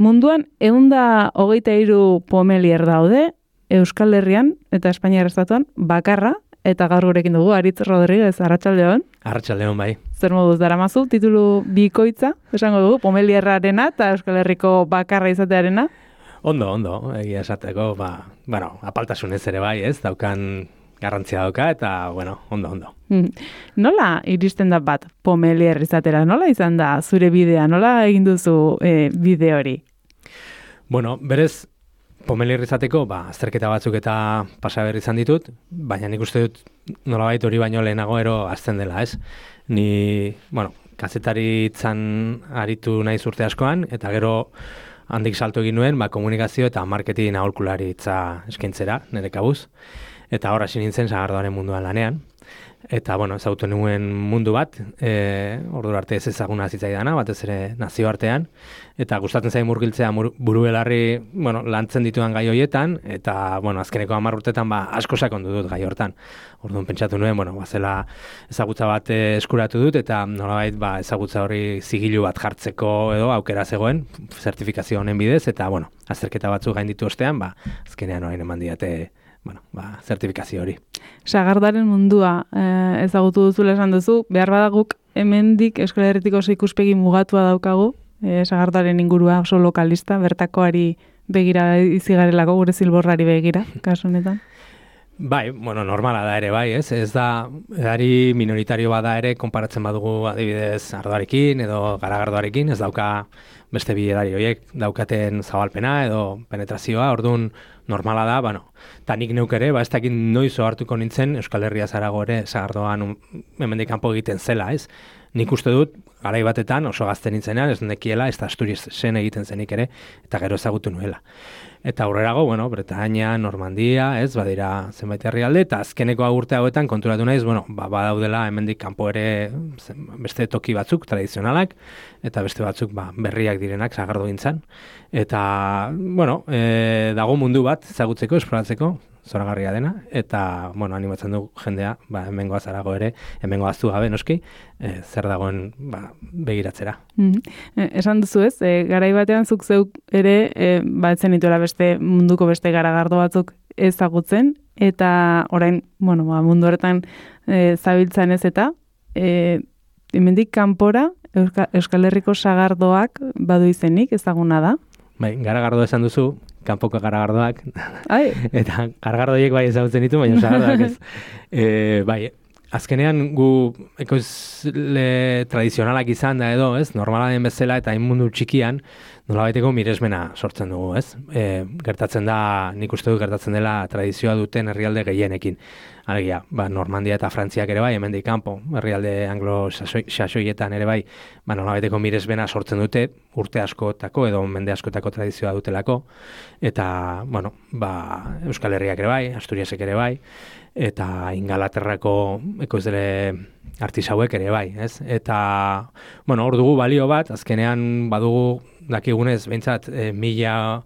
munduan 123 pomelier daude, Euskal Herrian eta Espainiar Estatuan bakarra, eta gaur gurekin dugu, Aritz Rodriguez, arratsaldeon. Arratsaldeon bai. Zer moduz daramazu, titulu bikoitza, esango dugu, pomelierrarena eta Euskal Herriko bakarra izatearena? Ondo, egia esateko, apaltasunez ere bai, ez, daukan garrantzia dauka, eta, ondo. Nola iristen da bat pomelier izatera? Nola izan da zure bidea? Nola egin duzu bide hori? Berez, pomelier izateko, azterketa batzuk eta pasaber izan ditut, baina nik uste dut nolabait hori baino lehenago ero azten dela, ez? Ni, kazetaritzan aritu naiz urte askoan, eta gero handik salto egin nuen, komunikazio eta marketing aholkularitza eskaintzera, nire kabuz. Eta hor hasi nintzen sagardoaren munduan lanean. Eta, ezagutu nuen mundu bat, ordura arte ez ezaguna zitzaidana, batez ere nazioartean. Eta gustatzen zain murgiltzea buru belarri, lantzen dituan gai horietan, eta, azkeneko 10 urtetan asko sakondu dut gai hortan. Orduan pentsatu nuen, zela ezagutza bat eskuratu dut, eta nolabait ezagutza hori zigilu bat jartzeko edo aukera zegoen, zertifikazio honen bidez, eta, azterketa batzuk gainditu ostean, azkenean orain eman diate zertifikazio hori. Sagardaren mundua ezagutu duzula esan duzu, behar badaguk hemendik Euskal Herritiko oso ikuspegi mugatua daukagu, sagardaren ingurua oso lokalista, bertakoari begira izigarelako, gure zilborrari begira, kasu honetan. Bai, normala da ere bai, ez? Ez da, edari minoritario bada ere, konparatzen badugu adibidez ardoarekin edo garagardoarekin, ez dauka beste bi edari horiek daukaten zabalpena edo penetrazioa, orduan normala da, eta nik neuk ere, ez dakit noiz ohartuko nintzen Euskal Herria zarago ere sagardoan hemendik kanpo egiten zela, ez? Nik uste dut, garai batetan oso gazte nintzenean, ez nekiela, ez da Asturiasen egiten zenik ere, eta gero ezagutu nuela. Eta aurrerago, Bretaña, Normandia, ez, badira zenbait herrialde, eta azkeneko urte hauetan konturatu naiz, badaudela hemendik kanpo ere beste toki batzuk tradizionalak, eta beste batzuk berriak direnak sagardogintzan. Eta, dago mundu bat ezagutzeko, esploratzeko, zoragarria dena, eta, animatzen du jendea, hemengoa zarago ere, hemengoa aztu gabe, noski, zer dagoen begiratzera. Esan duzu ez, garai batean zuk zeuk ere, etzen dituela beste munduko beste garagardo batzuk ezagutzen, eta orain, mundu horretan zabiltzan ez eta, hemendik kanpora, Euskal Herriko sagardoak badu izenik, ezaguna da? Bai, garagardo esan duzu, kanpoko garagardoak, eta garagardoiek ezagutzen ditu, baina sagardoak ez. Azkenean gu ekoizle tradizionalak izan da edo, ez? Normala den bezala eta mundu txikian nolabaiteko miresmena sortzen dugu, ez? Gertatzen da, nik uste dut gertatzen dela tradizioa duten herrialde gehienekin. Alegia, Normandia eta Frantziak ere bai, hemendik kanpo, herrialde anglo-saxoietan ere bai, nolabaiteko miresmena sortzen dute, urte askotako edo mende askotako tradizioa dutelako, eta, Euskal Herriak ere bai, Asturiasek ere bai, eta Ingalaterrako ekoizle artisauek ere bai, ez? Eta, hor dugu balio bat, azkenean badugu dakigunez, behintzat, 1000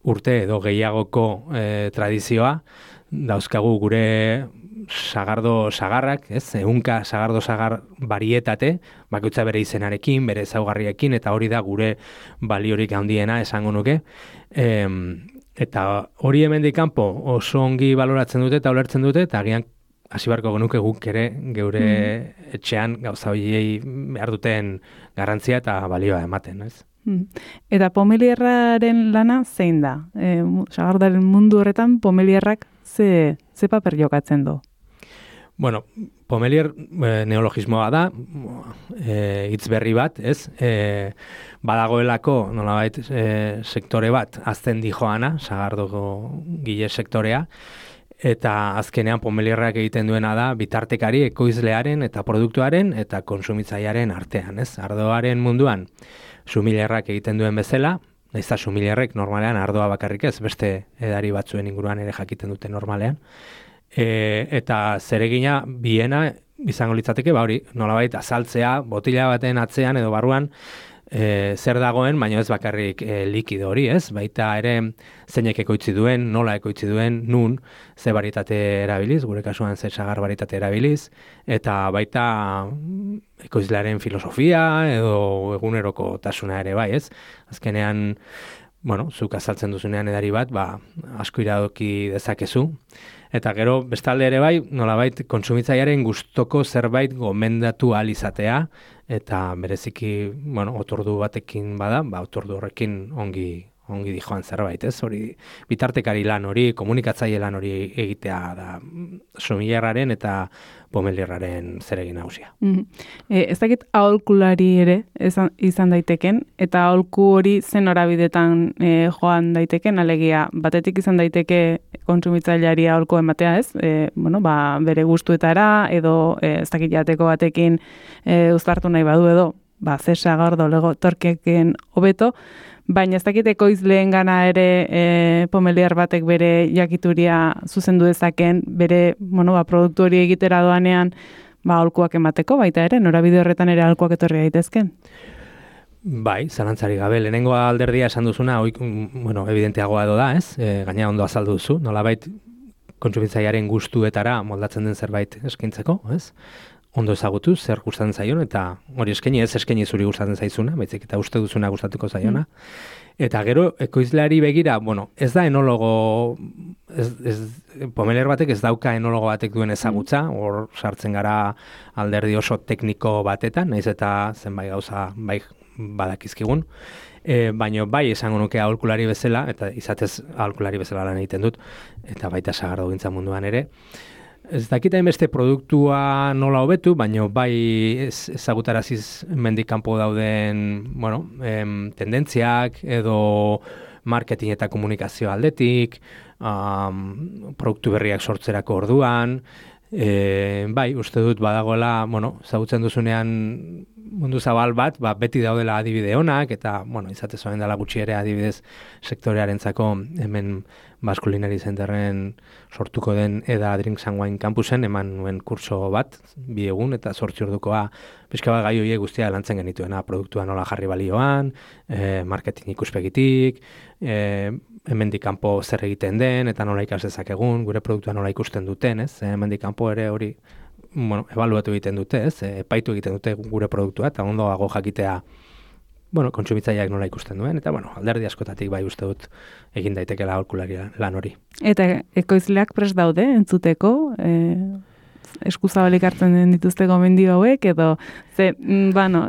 urte edo gehiagoko tradizioa, dauzkagu gure sagardo sagarrak, ez? 100 sagardo sagar barietate, bakoitza bere izenarekin, bere ezaugarriekin, eta hori da gure baliorik handiena esango nuke. Eta hori hemendik kanpo oso ongi baloratzen dute eta ulertzen dute, eta agian hasi beharko genuke guk ere geure etxean gauza horiei behar duten garrantzia eta balioa ematen, ez? Eta pomelierraren lana zein da? Sagardaren mundu horretan pomelierrak ze paper jokatzen du? Pomelier neologismoa da, hitz berri bat, ez? Badagoelako, nolabait, sektore bat, azten dijoana, sagardoko gile sektorea, eta azkenean pomelierrak egiten duena da, bitartekari ekoizlearen eta produktuaren eta konsumitzailearen artean, ez? Ardoaren munduan, sumillerrak egiten duen bezala, nahiz da sumillerrek normalean ardoa bakarrik ez, beste edari batzuen inguruan ere jakiten dute normalean. Eta zeregina biena izango litzateke, hori, nolabait azaltzea, botila baten atzean edo barruan, zer dagoen, baina ez bakarrik likido hori, ez? Baita ere zeinek ekoitzi duen, nola ekoitzi duen, nun, ze barietate erabiliz, gure kasuan ze sagar barietate erabiliz, eta baita ekoizlearen filosofia edo eguneroko tasuna ere bai, ez? Azkenean, zuk azaltzen duzunean edari bat, asko iradoki dezakezu. Eta gero, bestalde ere bai, nolabait, kontsumitzailearen gustoko zerbait gomendatu ahal izatea, eta bereziki, otordu batekin bada, otordu horrekin ongi dijoan zerbait, ez? Hori, bitartekari lan hori, komunikatzaile lan hori egitea da sommelierraren eta pomelierraren zeregin nagusia. Ez dakit aholkulari ere izan daiteken, eta aholku hori zen norabidetan joan daiteken, alegia batetik izan daiteke kontsumitzaileari aholku ematea, ez? Bere gustuetara, edo ez dakit jateko batekin uztartu nahi badu edo, zesa gordo lego torkeken hobeto, baina ez dakit ekoizleen gana ere pomelier batek bere jakituria zuzendu dezaken, bere produktu hori egitera doanean aholkuak emateko, baita ere, norabide horretan ere aholkuak etorri daitezken. Bai, zalantzari gabe, lehenengo alderdia esan duzuna, evidenteagoa edo da, ez? Gaina ondo azaldu duzu, nolabait kontsumitzailearen gustuetara moldatzen den zerbait eskaintzeko, ez? Ondo ezagutu, zer gustatzen zaion, eta hori eskaini zuri gustatzen zaizuna, baizik eta uste duzuna gustatuko zaiona. Eta gero, ekoizleari begira, ez da enologo, pomelier batek ez dauka enologo batek duen ezagutza, hor sartzen gara alderdi oso tekniko batetan, nahiz eta zenbait gauza bai badakizkigun, baina bai esango nuke aholkulari bezala, eta izatez aholkulari bezala lan egiten dut, eta baita sagardogintza munduan ere. Ez dakita beste produktua nola hobetu, baina bai ezagutaraziz mendik kanpo dauden tendentziak edo marketing eta komunikazio aldetik, produktu berriak sortzerako orduan, bai, uste dut badagoela, ezagutzen duzunean mundu zabal bat, beti daudela adibide onak, eta, izatez oen dela gutxi ere adibidez sektorearentzako hemen Masculinary Centerren sortuko den Eda Drinks and Wine Campusen eman nuen kurso bat, 2 egun, eta 8 ordukoa pixka bat gai horiek guztia lantzen genituena, produktua nola jarri balioan, marketing ikuspegitik, hemendik kanpo zer egiten den, eta nola ikas dezakegun, gure produktua nola ikusten duten, ez? Hemendik kanpo ere hori ebaluatu egiten dute, ez? Epaitu egiten dute gure produktua, eta ondoago jakitea kontsumitzaileak nola ikusten duen, eta alderdi askotatik bai uste dut egin daitekela aholkulari lan hori. Eta ekoizleak prest daude entzuteko, eskuzabalik hartzen dituzte gomendio hauek, edo ez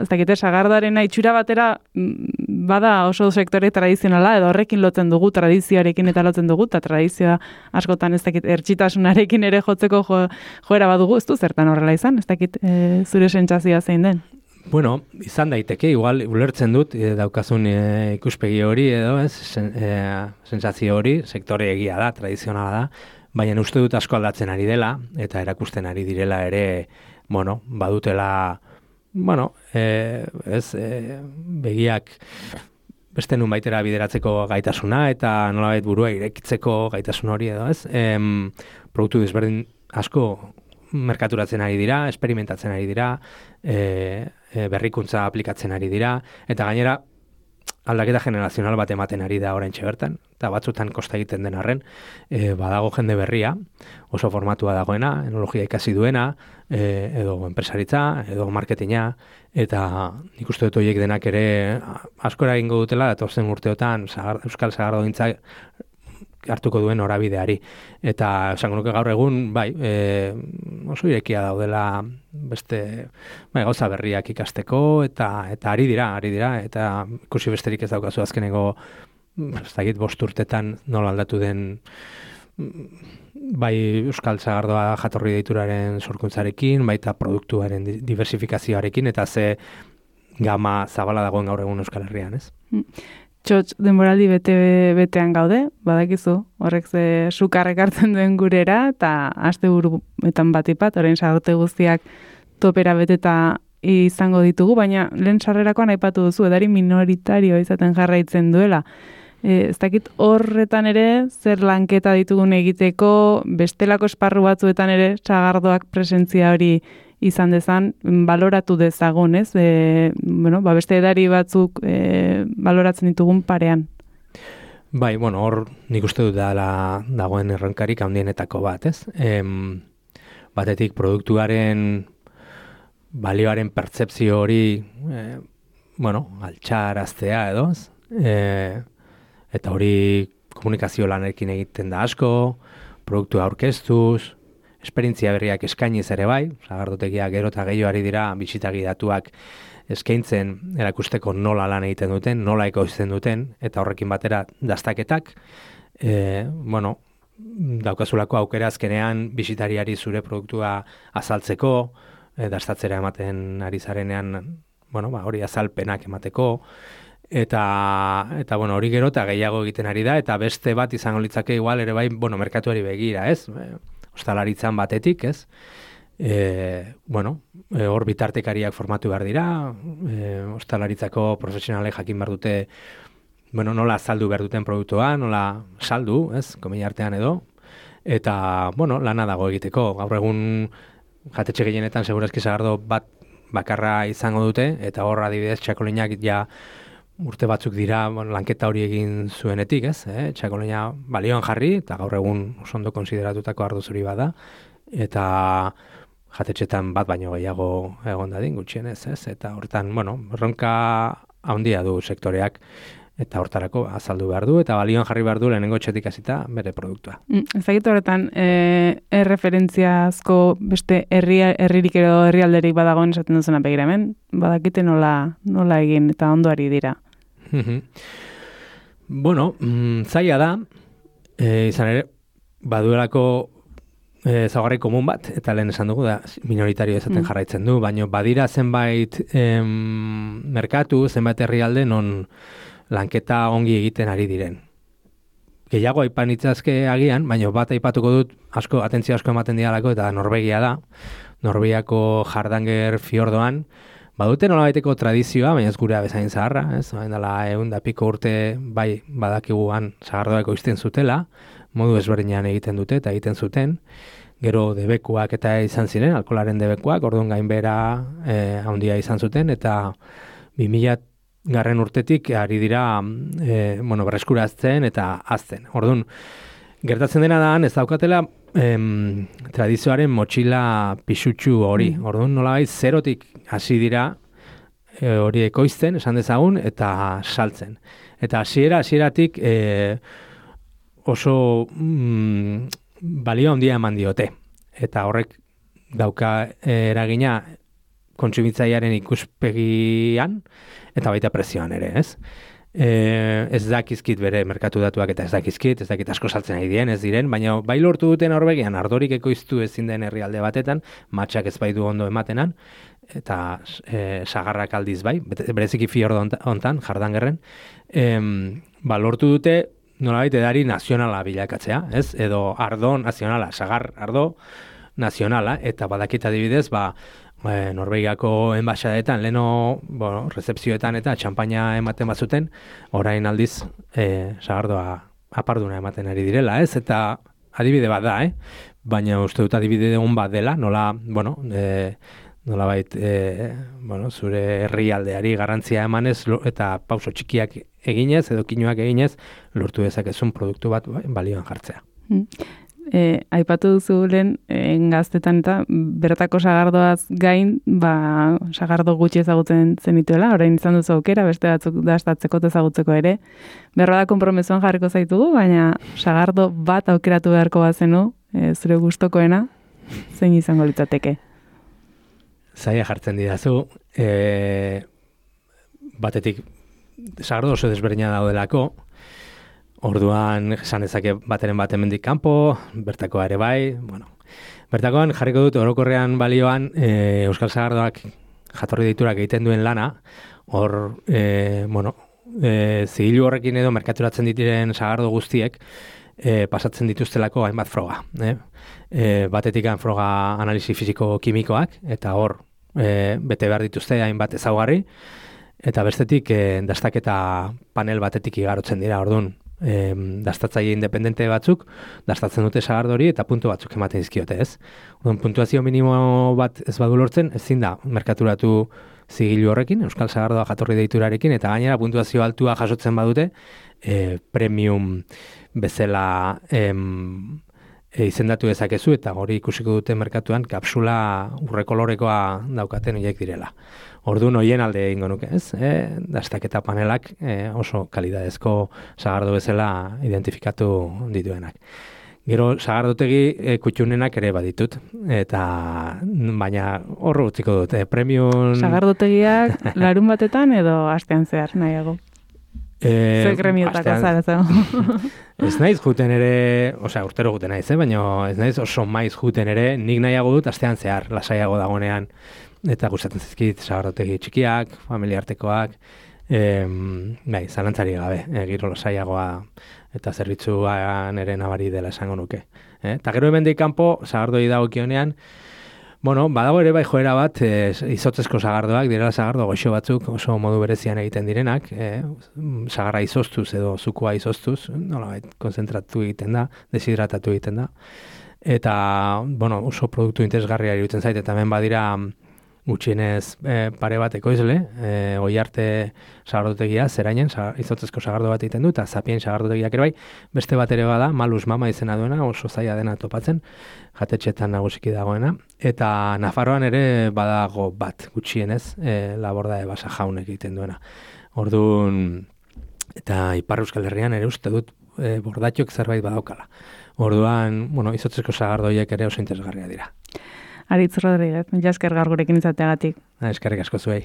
dakite sagardoaren itxura batera bada oso sektore tradizionala, edo horrekin lotzen dugu, tradizioarekin eta lotzen dugu, eta tradizioa askotan ez dakit ertxitasunarekin ere jotzeko joera badugu, ez du zertan horrela izan, ez dakit zure sentsazioa zein den? Izan daiteke, igual ulertzen dut daukazun ikuspegi hori edo, sentsazio hori, sektore egia da, tradizionala da, baina uste dut asko aldatzen ari dela, eta erakusten ari direla ere, badutela, begiak beste nun baitera bideratzeko gaitasuna, eta nolabait burua irekitzeko gaitasun hori edo, ez? Produktu desberdin asko merkaturatzen ari dira, experimentatzen ari dira, berrikuntza aplikatzen ari dira, eta gainera aldaketa generazional bat ematen ari da oraintxe bertan, eta batzutan kosta egiten den arren, badago jende berria, oso formatua dagoena, enologia ikasi duena, edo enpresaritza, edo marketinga, eta nik uste dut horiek denak ere askora egingo dutela, datozen urteotan Euskal Sagardogintza hartuko duen horabideari. Eta esango nuke gaur egun, bai, oso irekia daudela beste gauza berriak ikasteko, eta ari dira, eta ikusi besterik ez daukazu azkeneko, ez dakit 5 urtetan nola aldatu den, bai Euskal Sagardoa jatorri deituraren sorkuntzarekin, baita produktuaren diversifikazioarekin, eta ze gama zabala dagoen gaur egun Euskal Herrian, ez? Txotx, denboraldi betean gaude, badakizu, horrek ze sukarrek hartzen duen gurera, eta asteburuetan batipat, orain sarrote guztiak topera beteta izango ditugu, baina lehen sarrerakoan aipatu duzu, edari minoritario izaten jarraitzen duela. Ez dakit horretan ere, zer lanketa ditugun egiteko, bestelako esparru batzuetan ere, sagardoak presentzia hori izan dezan, baloratu dezagon, ez? Beste edari batzuk baloratzen ditugun parean. Bai, hor nik uste dut dagoen erronkarik handienetako bat, ez? Batetik produktuaren balioaren pertzepzio hori, altxaraztea edo, eta hori komunikazio lanekin egiten da asko, produktua aurkeztuz, esperientzia berriak eskainiz ere bai, sagardotegiak gero eta gehiago dira bisitagi datuak eskaintzen erakusteko nola lan egiten duten, nola ekoizten duten, eta horrekin batera dastaketak, daukazulako aukera azkenean bisitariari zure produktua azaltzeko, dastatzera ematen ari zarenean, hori azalpenak emateko, eta hori gero eta gehiago egiten ari da, eta beste bat izango litzake igual ere bai, merkatuari begira, ez? Ostalaritzan batetik, ez? Hor bitartekariak formatu behar dira, ostalaritzako profesionalek jakin behar dute, nola saldu behar duten produktua, nola saldu, ez? Komila artean edo, eta, lana dago egiteko. Gaur egun jatetxe gehienetan segurazki sagardo bat bakarra izango dute, eta hor adibidez txakolinak ja urte batzuk dira lanketa hori egin zuenetik, ez? Txakolina balioan jarri, eta gaur egun oso ondo konsideratutako ardo zuri bada, eta jatetxetan bat baino gehiago egon dadin gutxienez, ez? Eta hortan, erronka handia du sektoreak, eta hortarako azaldu behar du, eta balioan jarri behar du lehenengo etxetik hasita bere produktua. Ezagite horretan, erreferentziazko beste herririk edo herrialderik badagoen esaten duzuna begira hemen, badakite nola egin eta ondoari dira. Zaila da, izan ere, baduelako ezaugarri komun bat, eta lehen esan dugu da minoritario esaten jarraitzen du, baina badira zenbait merkatu, zenbait herrialde non lanketa ongi egiten ari diren. Gehiago aipan itzazke agian, baina bat aipatuko dut atentzio asko ematen dialako, eta Norvegia da. Norvegiako Hardanger fiordoan, badute nolabaiteko tradizioa, baina ez gurea bezain zaharra, ez? Dela 100 piko urte bai badakiguan sagardoak ekoizten zutela, modu ezberdinean egiten dute eta egiten zuten, gero debekuak eta izan ziren, alkoholaren debekuak, orduan gainbera handia izan zuten, eta 2000 garren urtetik ari dira berreskurazten eta azten. Orduan, gertatzen dena da, ez daukatela tradizioaren motxila pisutsu hori. Orduan, nolabait zerotik hasi dira hori ekoizten, esan dezagun, eta saltzen. Eta hasieratik oso balio handia eman diote. Eta horrek dauka eragina kontsumitzailearen ikuspegian, eta baita prezioan ere, ez? Ez dakizkit bere merkatu datuak eta ez dakit asko saltzen ari ez diren, baina bai lortu duten Norvegian ardorik ekoiztu ezin den herrialde batetan, matxak ez baitu ondo ematenan, eta sagarrak aldiz bai, bereziki fiordo hontan, Hardangerren, lortu dute nolabait edari nazionala bilakatzea, ez? Edo ardo nazionala, sagar ardo nazionala, eta badakit adibidez, Norvegiako enbaxadetan, leno, rezepzioetan eta txampaina ematen bazuten, orain aldiz sagardoa aparduna ematen ari direla, ez? Eta adibide bat da, baina uste dut adibide on bat dela, nolabait, zure herrialdeari garrantzia emanez eta pauso txikiak eginez edo kinuak eginez, lortu dezakezun produktu bat balioan jartzea. Aipatu duzu lehen gaztetan eta bertako sagardoaz gain, sagardo gutxi ezagutzen zenituela, orain izan duzu aukera, beste batzuk dastatzeko ezagutzeko ere. Berra da konpromezuan jarriko zaitugu, baina sagardo bat aukeratu beharko bazenu, zure gustokoena, zein izango litzateke? Zaila jartzen didazu, batetik sagardo oso desberdina daudelako, orduan esan dezake bateren bat hemendik kanpo, bertakoa ere bai, bertakoan jarriko dut orokorrean balioan Euskal Sagardoak jatorri deiturak egiten duen lana, hor, zigilu horrekin edo merkaturatzen ditiren sagardo guztiek pasatzen dituztelako hainbat froga. Batetikan froga analisi fisiko-kimikoak, eta hor bete behar dituzte hainbat ezaugarri, eta bestetik dastaketa panel batetik igarotzen dira, orduan, dastatzaile independente batzuk, dastatzen dute sagardo hori eta puntu batzuk ematen dizkiote, ez? Puntuazio minimo bat ez badu lortzen, ezin da merkaturatu zigilu horrekin, Euskal Sagardoa jatorri deiturarekin, eta gainera puntuazio altua jasotzen badute, premium bezala izendatu dezakezu, eta hori ikusiko dute merkatuan kapsula urrekolorekoa daukaten horiek direla. Orduan hoien alde egingo nuke, ez? Dastaketa panelak oso kalidadezko sagardo bezala identifikatu dituenak. Gero sagardotegi kutxunenak ere baditut, eta baina horro utziko dut, premium... Sagardotegiak larun batetan edo astean zehar nahiago? Zer gremiotako zara zego? Ez naiz juten ere, urtero juten naiz, baina ez naiz oso maiz juten ere, nik nahiago dut astean zehar, lasaiago dagonean, eta gustatzen zizkit sagardotegi txikiak, familiartekoak, zalantzari gabe, giro lasaiagoa eta zerbitzuan ere nabari dela esango nuke. Eta gero hemendik kanpo, sagardoi dagokionean, badago ere bai joera bat, izotzezko sagardoak, direla sagardo goxo batzuk oso modu berezian egiten direnak, sagarra izoztuz edo zukua izoztuz, konzentratu egiten da, deshidratatu egiten da. Eta, oso produktu interesgarria iruditzen zait, eta hemen badira gutxienez pare bat ekoizle, Oiarte sagardotegia, Zerainen, izotzezko sagardo bat egiten du, eta Zapien sagardotegiak ere bai, beste bat ere bada, Malus Mama izena duena, oso zaila dena topatzen, jatetxetan nagusiki dagoena, eta Nafarroan ere badago bat gutxienez, Laborda de Basa Jaunek egiten duena. Orduan, eta Ipar Euskal Herrian ere uste dut bordatxok zerbait badaukala. Orduan, izotzezko sagardoiek ere oso interesgarria dira. Aritz Rodríguez, mila esker gaur gurekin izateagatik. Eskerrik asko zuei.